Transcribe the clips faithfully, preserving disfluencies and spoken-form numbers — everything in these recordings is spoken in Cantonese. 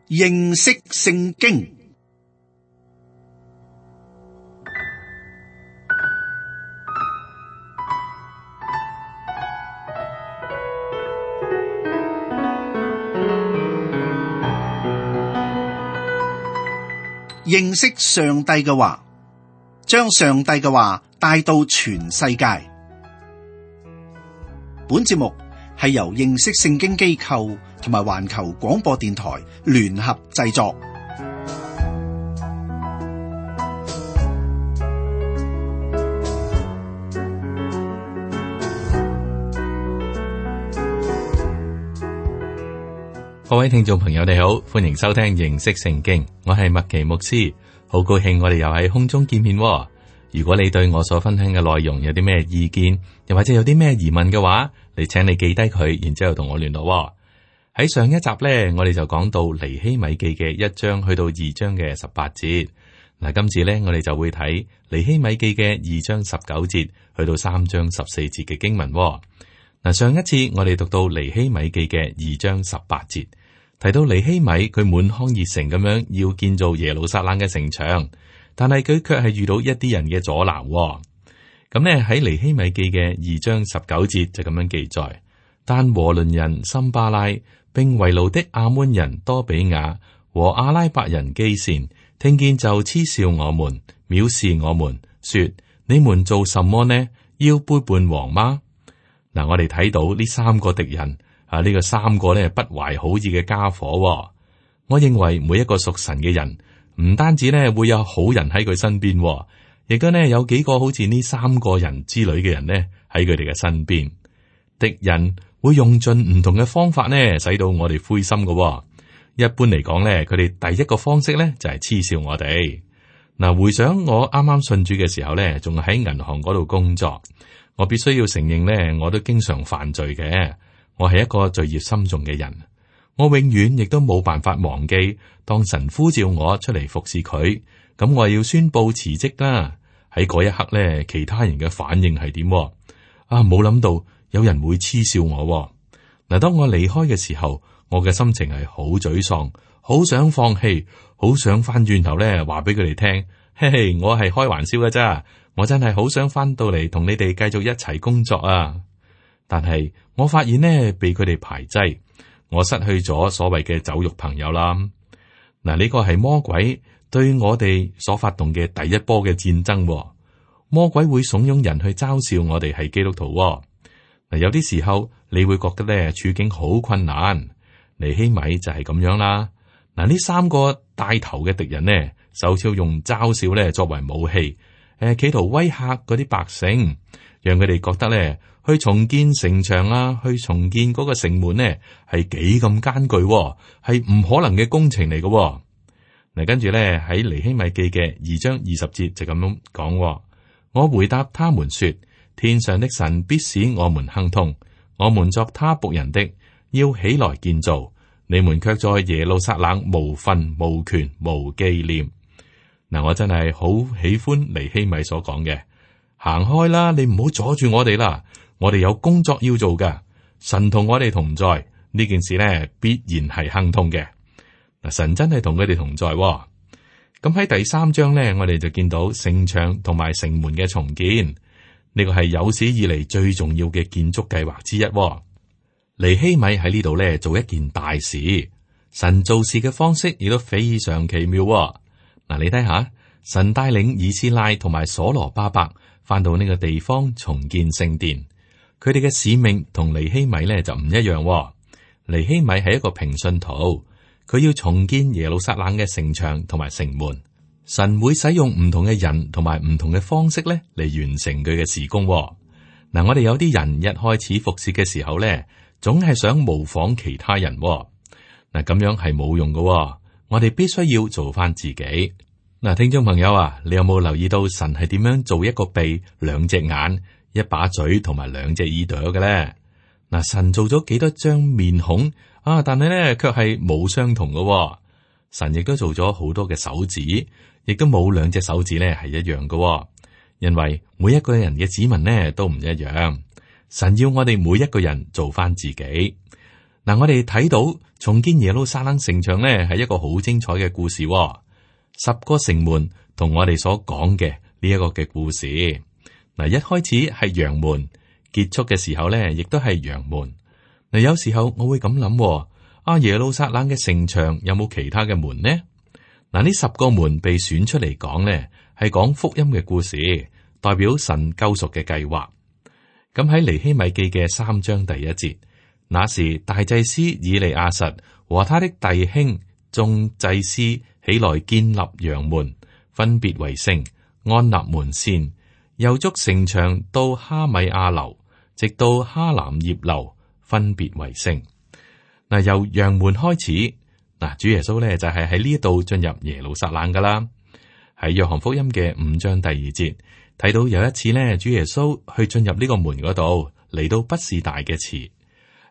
認識聖經。認識上帝嘅話，將上帝嘅話帶到全世界。本節目係由認識聖經機構同埋環球廣播電台聯合製作。各位聽眾朋友你好，歡迎收聽認識聖經，我係麥奇牧師，好高興我哋又喺空中見面。如果你對我所分享嘅內容有啲咩意見，又或者有啲咩疑問嘅話，你請你記低佢，然之後同我聯絡。喺上一集呢，我哋就講到尼希米記嘅一章去到二章嘅十八節。嗱，今次呢，我哋就會睇尼希米記嘅二章十九節去到三章十四節嘅經文。嗱，上一次我哋讀到尼希米記嘅二章十八節，提到尼希米佢滿腔熱誠咁樣要建造耶路撒冷嘅城牆，但係佢卻係遇到一啲人嘅阻撓。咁呢，喺尼希米記嘅二章十九節就咁樣記載：但和倫人參巴拉並為奴的亞捫人多比亞和阿拉伯人基善聽見就嗤笑我們，藐視我們，說：你們做什麼呢？要背叛王嗎？嗱，我哋睇到呢三個敵人啊，呢、這個三個咧不懷好意嘅家伙。我認為每一個屬神嘅人，唔單止咧會有好人喺佢身邊，亦都咧有幾個好似呢三個人之類嘅人呢喺佢哋嘅身邊。敵人會用盡唔同嘅方法呢，使到我哋灰心嘅。一般嚟講咧，佢哋第一個方式咧就係嗤笑我哋。嗱，回想我啱啱信主嘅時候咧，仲喺銀行嗰度工作。我必須要承認呢，我都經常犯罪嘅。我係一個罪孽深重嘅人，我永遠亦都冇辦法忘記，當神呼召我出嚟服侍佢，咁我要宣布辭職啦。喺嗰一刻呢，其他人嘅反應係點？啊，冇諗到有人會嗤笑我。嗱，當我離開嘅時候，我嘅心情係好沮喪，好想放棄，好想翻轉頭呢話俾佢哋聽，嘿嘿，我係開玩笑嘅咋。我真係好想翻到嚟同你哋繼續一齊工作啊！但係我發現呢，被佢哋排擠，我失去咗所謂嘅酒肉朋友啦。嗱，呢個係魔鬼對我哋所發動嘅第一波嘅戰爭。魔鬼會慫恿人去嘲笑我哋係基督徒。嗱，有啲時候你會覺得咧處境好困難。尼希米就係咁樣啦。嗱，呢三個帶頭嘅敵人呢，首先用嘲笑咧作為武器。誒，企圖威嚇嗰啲百姓，讓佢哋覺得咧，去重建城牆啊，去重建嗰個城門呢，係幾咁艱巨，係唔可能嘅工程嚟嘅。嗱，跟住咧喺尼希米記嘅二章二十節就咁樣講：我回答他們說，天上的神必使我們亨通，我們作他僕人的，要起來建造，你們卻在耶路撒冷無份無權無紀念。嗱，我真係好喜歡尼希米所講嘅，行開啦，你唔好阻住我哋啦，我哋有工作要做噶，神同我哋同在，呢件事呢必然係亨通嘅。嗱，神真係同佢哋同在。咁喺第三章呢，我哋就見到城牆同埋城門嘅重建，呢個係有史以嚟最重要嘅建築計劃之一。尼希米喺呢度呢做一件大事，神做事嘅方式亦都非常奇妙。嗱，你睇下，神帶領以斯拉同埋所羅巴伯翻到呢個地方重建聖殿，佢哋嘅使命同尼希米咧就唔一樣。尼希米係一個平信徒，佢要重建耶路撒冷嘅城牆同埋城門。神會使用唔同嘅人同埋唔同嘅方式咧嚟完成佢嘅事工。嗱，我哋有啲人一開始服侍嘅時候咧，總係想模仿其他人。嗱，咁樣係冇用㗎。我哋必須要做翻自己。嗱，聽眾朋友啊，你有冇留意到神係點樣做一個鼻、兩隻眼、一把嘴同埋兩隻耳朵嘅咧？嗱，神做咗幾多張面孔啊？但係咧，卻係冇相同嘅。神亦都做咗好多嘅手指，亦都冇兩隻手指咧係一樣嘅。因為每一個人嘅指紋咧都唔一樣。神要我哋每一個人做翻自己。嗱，我哋睇到重建耶路撒冷城牆呢，係一個好精彩嘅故事喎。十個城門同我哋所講嘅呢一個嘅故事，嗱，一開始係羊門，結束嘅時候呢，亦都係羊門。嗱，有時候我會咁諗喎，啊，耶路撒冷嘅城牆有冇其他嘅門呢？嗱，呢十個門被選出嚟講呢，係講福音嘅故事，代表神救贖嘅計劃。咁喺尼希米記嘅三章第一節。那時大祭司以利亞實和他的弟兄眾祭司起來建立羊門，分別為聖，安立門扇，又築城牆到哈米亞樓，直到哈南葉樓，分別為聖。嗱，由羊門開始，嗱，主耶穌咧就係喺呢度進入耶路撒冷噶啦。喺約翰福音嘅五章第二節睇到有一次咧，主耶穌去進入呢個門嗰度，嚟到畢士大嘅池。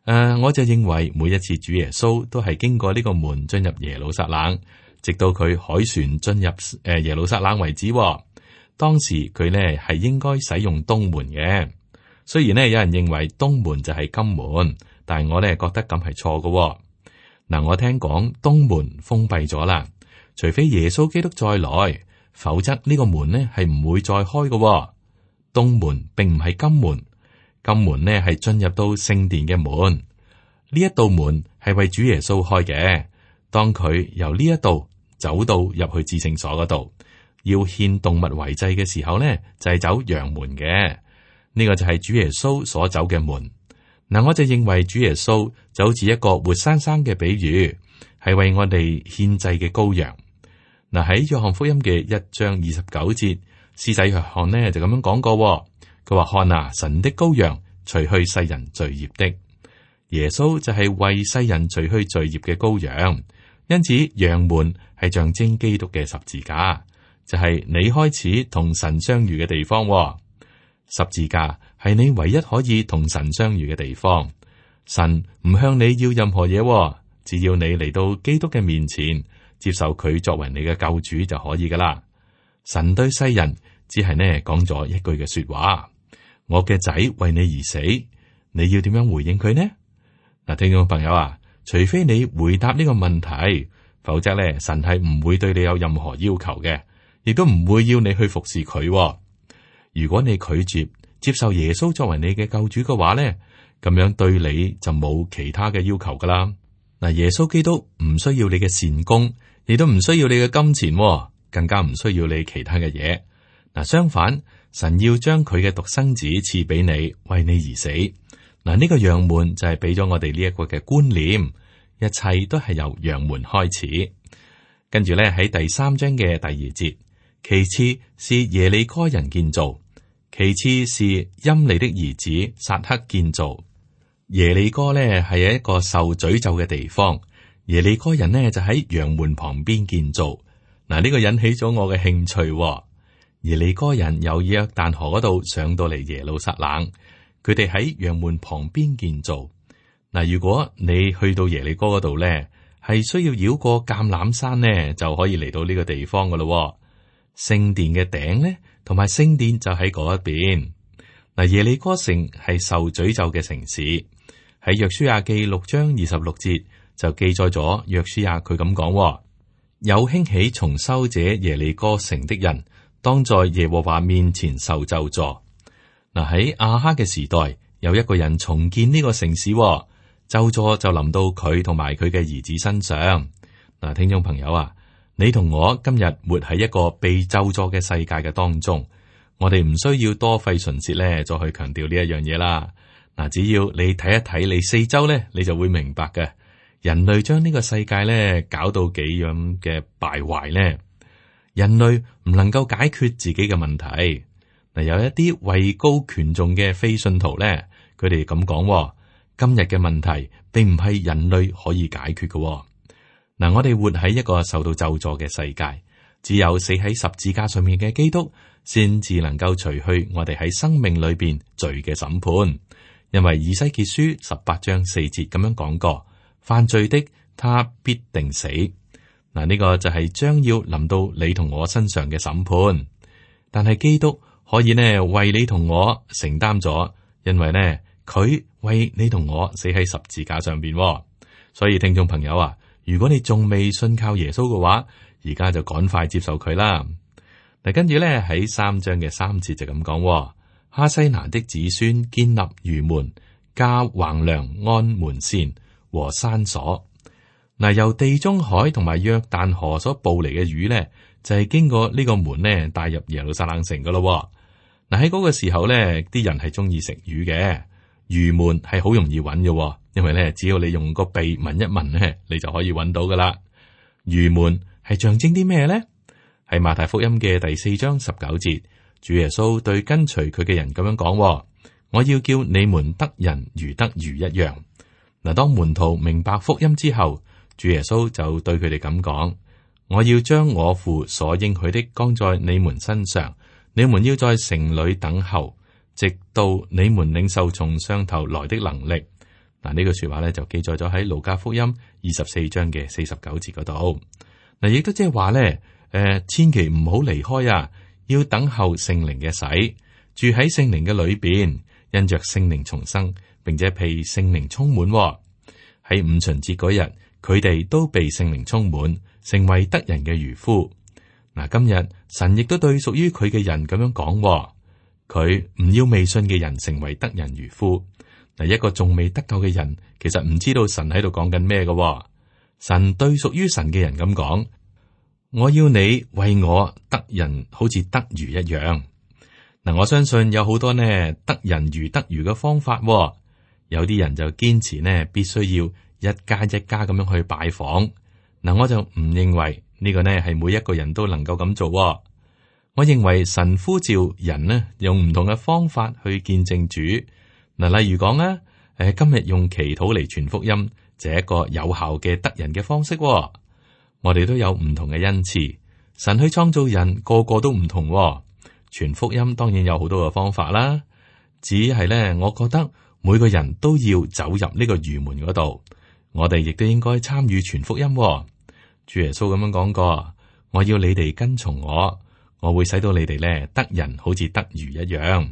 誒，uh, 我就認為每一次主耶穌都係經過呢個門進入耶路撒冷，直到佢凱旋進入誒耶路撒冷為止。當時佢呢係應該使用東門嘅，雖然呢有人認為東門就係金門，但係我呢覺得咁係錯嘅。嗱，我聽講東門封閉咗啦，除非耶穌基督再來，否則呢個門呢係唔會再開嘅。東門並唔係金門。金門呢係進入到聖殿嘅門，呢一道門係為主耶穌開嘅。當佢由呢一度走到入去至聖所嗰度，要獻動物為祭嘅時候呢，就係、是、走羊門嘅。呢、這個就係主耶穌所走嘅門。嗱，我就認為主耶穌就好似一個活生生嘅比喻，係為我哋獻祭嘅羔羊。嗱，喺約翰福音嘅一章二十九節，施洗約翰呢就咁樣講過。佢話：看啊，神的羔羊，除去世人罪孽的。耶穌就係為世人除去罪孽嘅羔羊，因此羊門係象徵基督嘅十字架，就係、是、你開始同神相遇嘅地方。十字架係你唯一可以同神相遇嘅地方。神唔向你要任何嘢，只要你嚟到基督嘅面前，接受佢作為你嘅救主就可以噶啦。神對世人只係呢講咗一句嘅說話。我嘅仔為你而死，你要點樣回應佢呢？嗱，聽眾朋友啊，除非你回答呢個問題，否則咧，神係唔會對你有任何要求嘅，亦都唔會要你去服侍佢。如果你拒絕接受耶穌作為你嘅救主嘅話咧，咁樣對你就冇其他嘅要求噶啦。嗱，耶穌基督唔需要你嘅善功，亦都唔需要你嘅金錢，更加唔需要你其他嘅嘢。嗱，相反。神要將佢嘅獨生子賜俾你，為你而死。嗱，呢個羊門就係俾咗我哋呢一個嘅觀念，一切都係由羊門開始。跟住咧喺第三章嘅第二節，其次是耶利哥人建造，其次是陰利的兒子撒克建造。耶利哥咧係一個受詛咒嘅地方，耶利哥人呢就喺羊門旁邊建造。嗱，呢個引起咗我嘅興趣。耶利哥人由約旦河嗰度上到嚟耶路撒冷，佢哋喺羊門旁邊建造。嗱，如果你去到耶利哥嗰度咧，係需要繞過橄欖山咧，就可以嚟到呢個地方噶咯。聖殿嘅頂咧，同埋聖殿就喺嗰一邊。嗱，耶利哥城係受詛咒嘅城市，喺約書亞記六章二十六節就記載咗約書亞佢咁講：有興起重修這耶利哥城的人，當在耶和華面前受咒詛。嗱，喺亞哈嘅時代，有一個人重建呢個城市，咒詛就臨到佢同埋佢嘅兒子身上。嗱，聽眾朋友啊，你同我今日活喺一個被咒詛嘅世界嘅當中，我哋唔需要多費唇舌咧，再去強調呢一樣嘢啦。嗱，只要你睇一睇你四周咧，你就會明白嘅。人類將呢個世界咧搞到幾樣嘅敗壞咧。人類唔能夠解決自己嘅問題。嗱，有一啲位高權重嘅非信徒咧，佢哋咁講：今日嘅問題並唔係人類可以解決嘅。嗱，我哋活喺一個受到咒詛嘅世界，只有死喺十字架上面嘅基督，先至能夠除去我哋喺生命裏邊罪嘅審判。因為以西結書十八章四節咁樣講過：犯罪的，他必定死。嗱，呢個就係將要臨到你同我身上嘅審判，但係基督可以呢為你同我承擔咗，因為呢佢為你同我死喺十字架上邊。所以聽眾朋友啊，如果你仲未信靠耶穌嘅話，而家就趕快接受佢啦。嗱，跟住咧喺三章嘅三節就咁講：哈西拿的子孫建立魚門，架橫梁安門扇和山鎖。嗱，由地中海同埋約旦河所捕嚟嘅魚咧，就係、是、經過呢個門咧帶入耶路撒冷城噶咯。嗱，喺嗰個時候咧，啲人係中意食魚嘅，魚門係好容易揾嘅，因為咧只要你用個鼻聞一聞咧，你就可以揾到噶啦。魚門係象徵啲咩咧？喺馬太福音嘅第四章十九節，主耶穌對跟隨佢嘅人咁樣講：我要叫你們得人如得魚一樣。嗱，當門徒明白福音之後，主耶穌就對佢哋咁講：我要將我父所應許的降在你們身上，你們要在城裏等候，直到你們領受從上頭來的能力。嗱，呢句說話咧就記載咗喺路加福音二十四章嘅四十九節嗰度。嗱，亦都即係話咧，誒，千祈唔好離開啊，要等候聖靈嘅洗，住喺聖靈嘅裏邊，因着聖靈重生，並且被聖靈充滿。喺五旬節嗰日，佢哋都被聖靈充滿，成為得人嘅漁夫。嗱，今日神亦都對屬於佢嘅人咁樣講，佢唔要未信嘅人成為得人漁夫。嗱，一個仲未得救嘅人，其實唔知道神喺度講緊咩嘅。神對屬於神嘅人咁講：我要你為我得人，好似得魚一樣。嗱，我相信有好多呢得人如得魚嘅方法。有啲人就堅持呢，必須要一家一家咁樣去拜訪。嗱，我就唔認為呢個呢係每一個人都能夠咁做。我認為神呼召人呢，用唔同嘅方法去見證主。嗱，例如講啊，誒，今日用祈禱嚟傳福音，就係一個有效嘅得人嘅方式。我哋都有唔同嘅恩賜，神去創造人，個個都唔同。傳福音當然有好多嘅方法啦，只係咧，我覺得每個人都要走入呢個魚門嗰度，我哋亦都應該參與傳福音。主耶穌咁樣講過：我要你哋跟從我，我會使到你哋咧得人好似得魚一樣。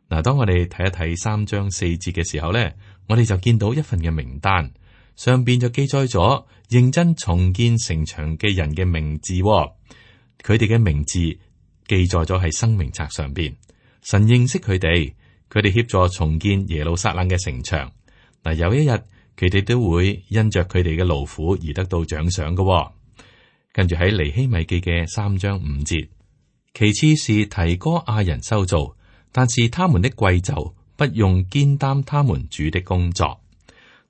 嗱，當我哋睇一睇三章四節嘅時候咧，我哋就見到一份嘅名單，上邊就記載咗認真重建城牆嘅人嘅名字，佢哋嘅名字記載咗喺生命冊上邊。神認識佢哋，佢哋協助重建耶路撒冷嘅城牆。嗱，有一日佢哋都會因着佢哋嘅勞苦而得到獎賞嘅。跟住喺尼希米記嘅三章五節，其次是提哥亞人修造，但是他們的貴胄不用肩擔他們主的工作。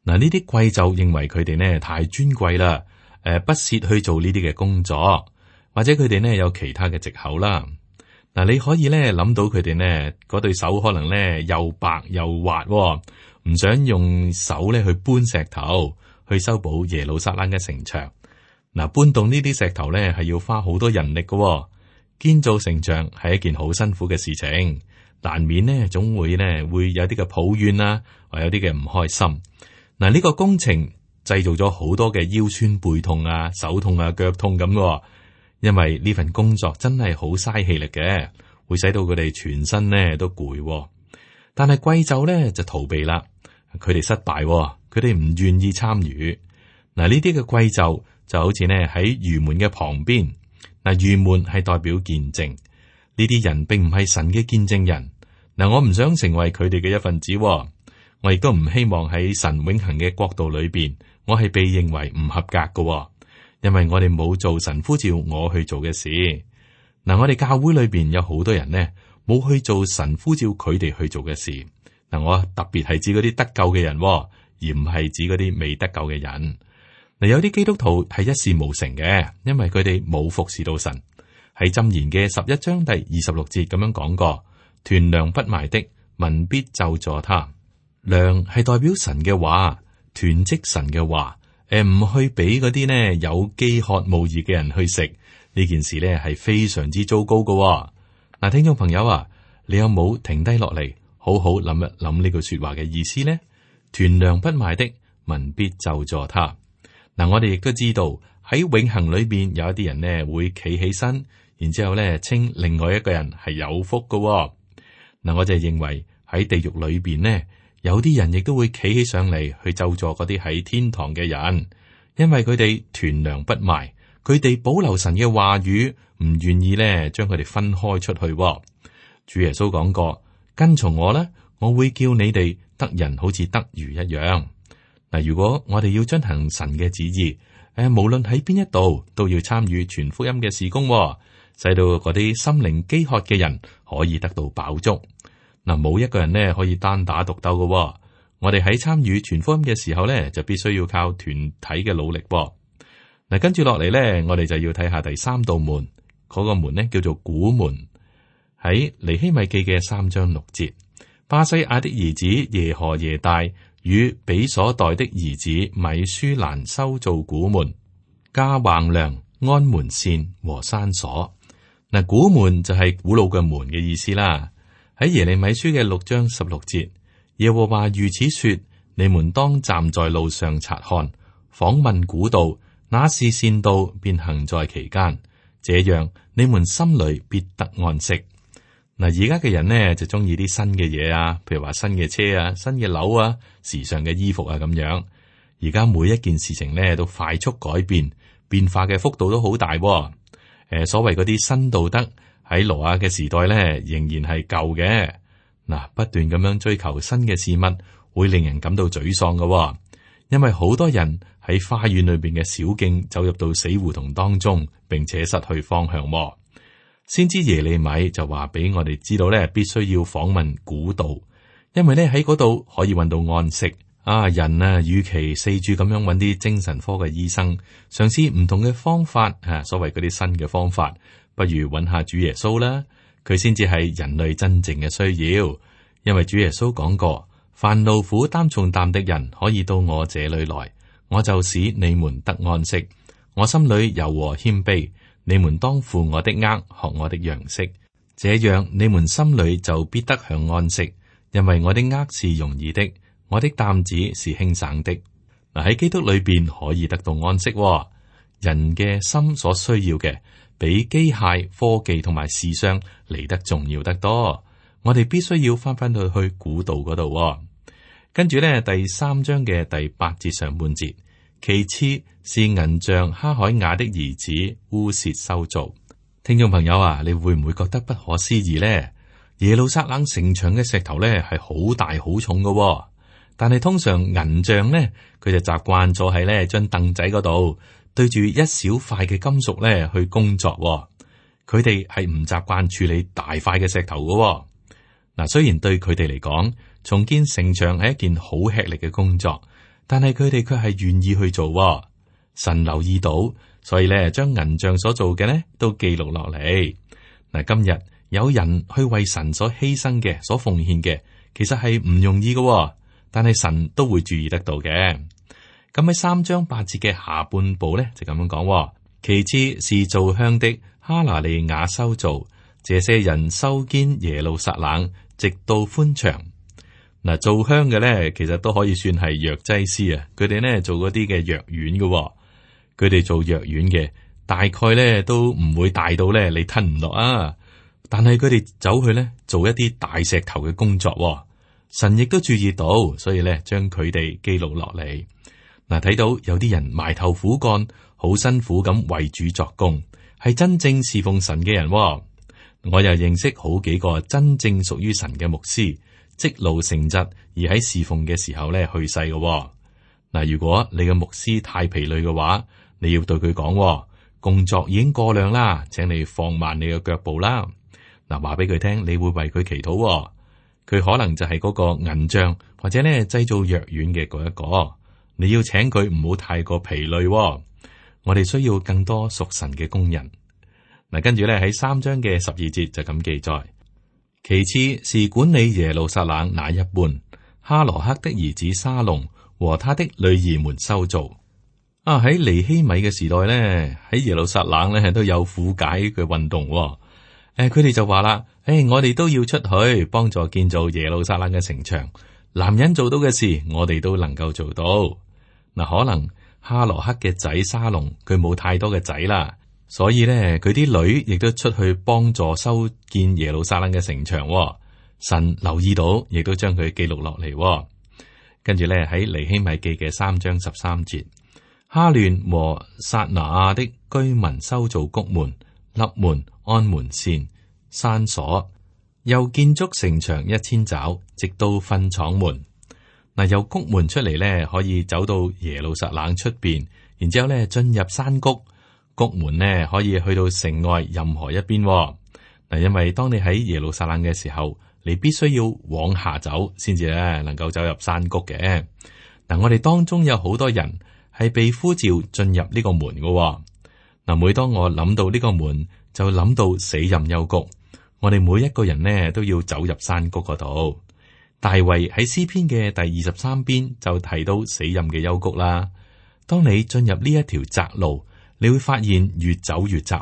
嗱，呢啲貴胄認為佢哋呢太尊貴啦，誒，不屑去做呢啲嘅工作，或者佢哋呢有其他嘅藉口啦。嗱，你可以咧諗到佢哋呢嗰對手可能咧又白又滑，唔想用手咧去搬石頭去修補耶路撒冷嘅城牆。嗱，搬動呢啲石頭咧係要花好多人力嘅，建造城牆係一件好辛苦嘅事情，難免呢總會呢會有啲嘅抱怨啦，或有啲嘅唔開心。嗱，呢個工程製造咗好多嘅腰酸背痛啊、手痛啊、腳痛咁嘅，因為呢份工作真係好嘥氣力嘅，會使到佢哋全身呢都攰。但係貴胄咧就逃避啦，佢哋失敗，佢哋唔願意參與。嗱，呢啲嘅貴胄就好似呢喺魚門嘅旁邊。嗱，魚門係代表見證，呢啲人並唔係神嘅見證人。嗱，我唔想成為佢哋嘅一份子。我亦都唔希望喺神永恆嘅國度裏邊，我係被認為唔合格嘅，因為我哋冇做神呼召我去做嘅事。嗱，我哋教會裏邊有好多人呢，冇去做神呼召佢哋去做嘅事。嗱，我特別係指嗰啲得救嘅人，而唔係指嗰啲未得救嘅人。嗱，有啲基督徒係一事無成嘅，因為佢哋冇服侍到神。喺箴言嘅十一章第二十六節咁樣講過：屯糧不賣的，民必咒詛他。糧係代表神嘅話，囤積神嘅話，誒唔去俾嗰啲呢有飢渴慕義嘅人去食，呢件事呢係非常之糟糕嘅。嗱，聽眾朋友啊，你有冇停低落嚟，好好諗一諗呢句說話嘅意思呢？屯糧不賣的，民必咒詛他。嗱，我哋亦都知道喺永恆裏邊有一啲人呢會企起身，然之後呢稱另外一個人係有福嘅。嗱，我就認為喺地獄裏邊呢。有啲人亦都會企起上嚟去咒詛嗰啲喺天堂嘅人，因為佢哋團糧不賣，佢哋保留神嘅話語，唔願意咧將佢哋分開出去。主耶穌講過，跟從我咧，我會叫你哋得人好似得魚一樣。嗱，如果我哋要遵行神嘅旨意，誒，無論喺邊一度都要參與全福音嘅事工，使到嗰啲心靈飢渴嘅人可以得到飽足。嗱，冇一個人呢可以單打獨鬥嘅。我哋喺參與全福音嘅時候呢，就必須要靠團體嘅努力。嗱，跟住落嚟呢，我哋就要睇下第三道門，嗰個門呢叫做古門。喺尼希米記嘅三章六節，巴西亞的兒子耶何耶大與比所代的兒子米舒蘭修造古門，加橫梁、安門扇和山鎖。嗱，古門就係古老嘅門嘅意思啦。喺耶利米書嘅六章十六節，耶和華如此說：你們當站在路上察看，訪問古道，那是善道，便行在其間，這樣你們心裏必得安息。嗱，而家嘅人呢就中意啲新嘅嘢啊，譬如話新嘅車啊、新嘅樓啊、時尚嘅衣服啊咁樣。而家每一件事情呢都快速改變，變化嘅幅度都好大。誒、呃，所謂嗰啲新道德喺挪亞嘅時代呢，仍然係舊嘅。嗱，不斷咁樣追求新嘅事物，會令人感到沮喪嘅，因為好多人喺花園裏邊嘅小徑走入到死胡同當中，並且失去方向。先知耶利米就話俾我哋知道咧，必須要訪問古道，因為咧喺嗰度可以搵到安息。啊，人啊，與其四處咁樣搵啲精神科嘅醫生，嘗試唔同嘅方法，啊，所謂嗰啲新嘅方法，不如搵下主耶穌啦，佢先至係人類真正嘅需要。因為主耶穌講過，凡勞苦擔重擔的人可以到我這裏來，我就使你們得安息。我心裏柔和謙卑，你們當負我的軛，學我的樣式，這樣你們心裏就必得享安息。因為我的軛是容易的，我的擔子是輕省的。嗱，喺基督裏邊可以得到安息。人嘅心所需要嘅，比機械、科技同埋時尚嚟得重要得多。我哋必須要翻翻去去古道嗰度。跟住咧，第三章嘅第八節上半節，其次是銀匠哈海雅的兒子烏薛修造。聽眾朋友啊，你會唔會覺得不可思議呢？耶路撒冷城牆嘅石頭咧係好大好重嘅，但係通常銀匠呢，佢就習慣咗喺呢張凳仔嗰度對住一小塊嘅金屬咧去工作。佢哋係唔習慣處理大塊嘅石頭嘅。嗱，雖然對佢哋嚟講，重建城牆係一件好吃力嘅工作，但係佢哋卻係願意去做。神留意到，所以咧將銀匠所做嘅呢都記錄落嚟。嗱，今日有人去為神所犧牲嘅、所奉獻嘅，其實係唔容易嘅，但係神都會注意得到嘅。咁喺三章八節嘅下半部咧就咁樣講，其次是造香的哈拿利雅修造，這些人修堅耶路撒冷，直到寬牆。嗱，做香嘅咧，其實都可以算係藥劑師啊。佢哋咧做嗰啲嘅藥丸嘅，佢哋做藥丸嘅，大概咧都唔會大到咧你吞唔落啊。但係佢哋走去咧做一啲大石頭嘅工作，神亦都注意到，所以咧將佢哋記錄落嚟。嗱，睇到有啲人埋頭苦幹，好辛苦咁為主作工，係真正侍奉神嘅人。我又認識好幾個真正屬於神嘅牧師，積勞成疾而喺侍奉嘅時候咧去世嘅。嗱，如果你嘅牧師太疲累嘅話，你要對佢講，工作已經過量啦，請你放慢你嘅腳步啦。嗱，話俾佢聽，你會為佢祈禱。佢可能就係嗰個銀匠或者咧製造藥丸嘅嗰一個。你要請佢唔好太過疲累。我哋需要更多屬神嘅工人。嗱，跟住咧喺三章嘅十二節就咁記載，其次是管理耶路撒冷那一半，哈羅克的兒子沙龍和他的女兒們修造。啊，喺尼希米嘅時代咧，喺耶路撒冷咧都有苦解嘅運動。誒、呃，佢哋就話啦，誒、哎，我哋都要出去幫助建造耶路撒冷嘅城牆。男人做到嘅事，我哋都能夠做到。嗱，可能哈羅克嘅仔沙龍佢冇太多嘅仔啦。所以咧，佢啲女亦都出去幫助修建耶路撒冷嘅城牆。神留意到，亦都將佢記錄落嚟。跟住咧喺尼希米記嘅三章十三節，哈亂和撒拿亞的居民修造谷門、立門、安門扇、山鎖，又建築城牆一千肘，直到糞廠門。嗱，由谷門出嚟咧，可以走到耶路撒冷出邊，然之後咧進入山谷。谷門呢可以去到城外任何一邊。嗱，因為當你喺耶路撒冷嘅時候，你必須要往下走，先至咧能夠走入山谷嘅。嗱，我哋當中有好多人係被呼召進入呢個門嘅。嗱，每當我諗到呢個門，就諗到死蔭幽谷。我哋每一個人呢都要走入山谷嗰度。大衛喺詩篇嘅第二十三篇就提到死蔭嘅幽谷啦。當你進入呢一條窄路，你會發現越走越窄。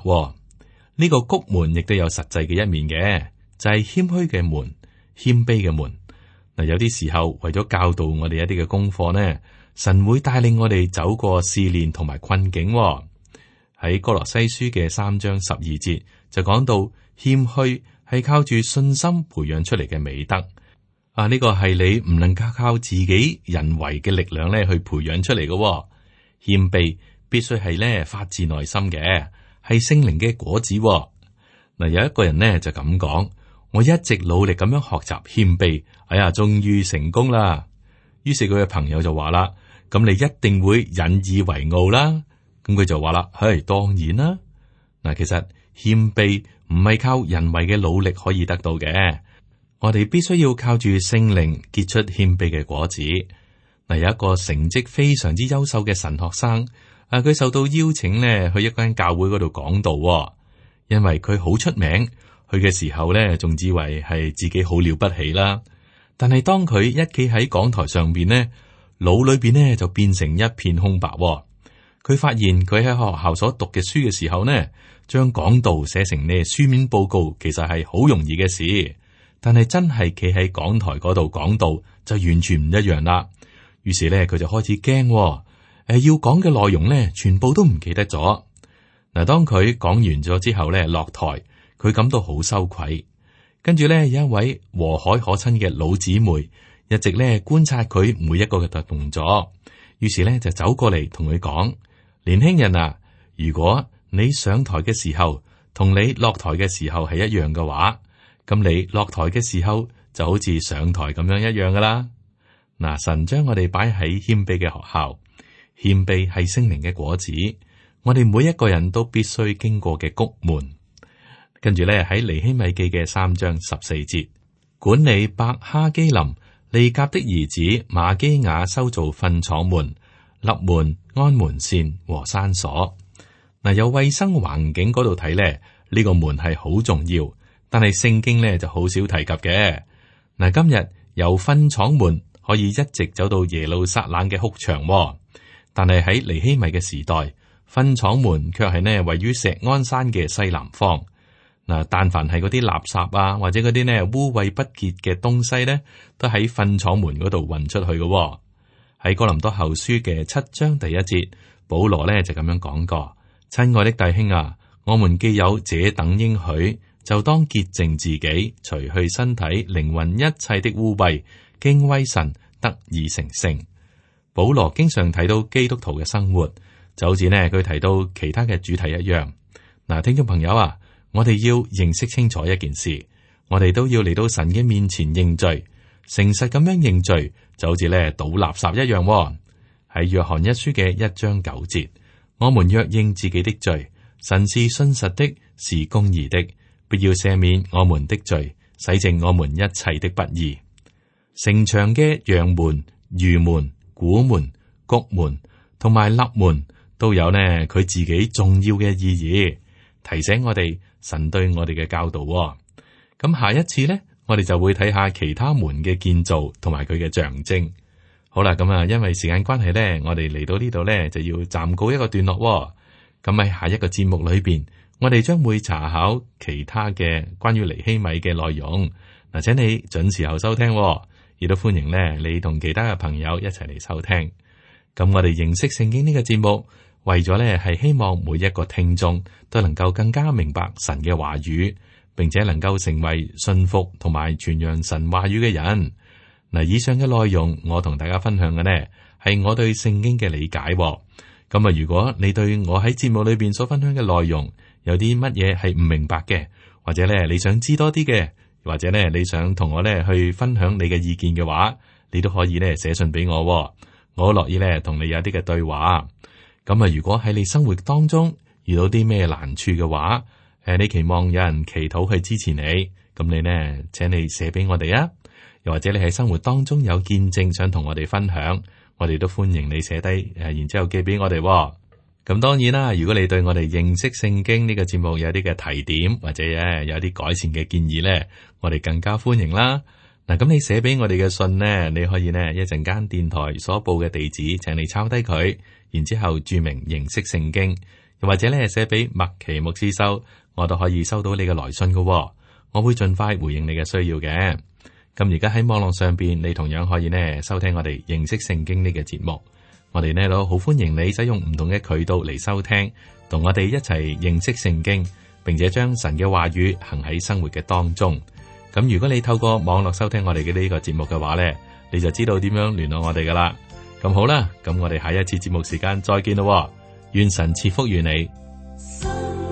呢個谷門亦都有實際嘅一面嘅。就係謙虛嘅門，謙卑嘅門。嗱，有啲時候為咗教導我哋一啲嘅功課呢，神會帶領我哋走過試煉同埋困境。喺歌羅西書嘅三章十二節就講到，謙虛係靠住信心培養出嚟嘅美德。啊，呢個係你唔能夠靠自己人為嘅力量咧去培養出嚟嘅。謙卑必須係咧發自內心嘅，係聖靈嘅果子。嗱，有一個人呢就咁講。我一直努力咁樣學習謙卑，哎呀，終於成功啦。於是佢嘅朋友就話啦：咁你一定會引以為傲啦。咁佢就話啦：係當然啦。嗱，其實謙卑唔係靠人為嘅努力可以得到嘅，我哋必須要靠住聖靈結出謙卑嘅果子。嗱，有一個成績非常之優秀嘅神學生，啊，佢受到邀請呢去一間教會嗰度講道，因為佢好出名。去嘅時候咧，仲以為係自己好了不起啦。但係當佢一企喺講台上邊呢，腦裏邊呢就變成一片空白。佢發現佢喺學校所讀嘅書嘅時候呢，將講道寫成呢書面報告，其實係好容易嘅事。但係真係企喺講台嗰度講道就完全唔一樣啦。於是咧，佢就開始驚，誒，要講嘅內容呢，全部都唔記得咗。嗱，當佢講完咗之後咧，落台。佢感到好羞愧，跟住咧有一位和藹可親嘅老姊妹，一直咧觀察佢每一個嘅動作，於是咧就走過嚟同佢講：年輕人啊，如果你上台嘅時候同你落台嘅時候係一樣嘅話，咁你落台嘅時候就好似上台咁樣一樣噶啦。嗱，神將我哋擺喺謙卑嘅學校，謙卑係聖靈嘅果子，我哋每一個人都必須經過嘅谷門。跟住咧喺尼希米記嘅三章十四節，管理伯哈基林利甲的兒子瑪基雅修造糞廠門、立門、安門扇和山鎖。嗱，有衛生環境嗰度睇咧，呢個門係好重要，但係聖經咧就好少提及嘅。嗱，今日由糞廠門可以一直走到耶路撒冷嘅哭牆，但係喺尼希米嘅時代，糞廠門卻係呢位於錫安山嘅西南方。嗱，但凡係嗰啲垃圾啊，或者嗰啲呢污穢不潔嘅東西呢，都喺糞廠門嗰度運出去嘅。喺哥林多後書嘅七章第一節，保羅呢就咁樣講過：親愛的弟兄啊，我們既有這等應許，就當潔淨自己，除去身體、靈魂一切的污穢，敬畏神，得以成聖。保羅經常提到基督徒嘅生活，就好似呢佢提到其他嘅主題一樣。嗱，聽眾朋友啊，我哋要認識清楚一件事，我哋都要嚟到神嘅面前認罪，誠實咁樣認罪，就好似咧倒垃圾一樣。喺約翰一書嘅一章九節，我們若認自己的罪，神是信實的，是公義的，必要赦免我們的罪，洗淨我們一切的不義。城牆嘅陽門、魚門、古門、谷門同埋立門都有呢佢自己重要嘅意義，提醒我哋神對我哋嘅教導。咁下一次呢，我哋就會睇下其他門嘅建造同埋佢嘅象徵。好啦，咁啊，因為時間關係呢，我哋嚟到呢度呢，就要暫告一個段落。咁喺下一個節目裏邊，我哋將會查考其他嘅關於尼希米嘅內容。嗱，請你準時候收聽，亦都歡迎呢你同其他嘅朋友一齊嚟收聽。咁我哋認識聖經呢個節目，為咗呢係希望每一個聽眾都能夠更加明白神嘅話語，並且能夠成為信服同埋傳揚神話語嘅人。嗱，以上嘅內容我同大家分享嘅呢，係我對聖經嘅理解。咁啊，如果你對我喺節目裏邊所分享嘅內容有啲乜嘢係唔明白嘅，或者咧你想知多啲嘅，或者咧你想同我咧去分享你嘅意見嘅話，你都可以咧寫信俾我，我樂意咧同你有啲嘅對話。咁啊，如果喺你生活當中遇到啲咩難處嘅話，誒，你期望有人祈禱去支持你，咁你呢，請你寫俾我哋啊。又或者你喺生活當中有見證想同我哋分享，我哋都歡迎你寫低，誒，然之後寄俾我哋。咁當然啦，如果你對我哋認識聖經呢個節目有啲嘅提點，或者誒有啲改善嘅建議呢，我哋更加歡迎啦。嗱，咁你寫俾我哋嘅信呢，你可以呢一陣間電台所報嘅地址，請你抄低佢，然之後注明認識聖經，又或者呢寫俾麥奇牧師收，我都可以收到你嘅來信噶，我會盡快回應你嘅需要嘅。咁而家喺網絡上邊，你同樣可以呢收聽我哋認識聖經呢個節目。我哋呢都好歡迎你使用唔同嘅渠道嚟收聽，同我哋一齊認識聖經，並且將神嘅話語行喺生活嘅當中。咁如果你透過網絡收聽我哋嘅呢個節目嘅話呢，你就知道點樣聯絡我哋噶啦。咁好啦，咁我哋下一次節目時間再見咯。願神賜福於你。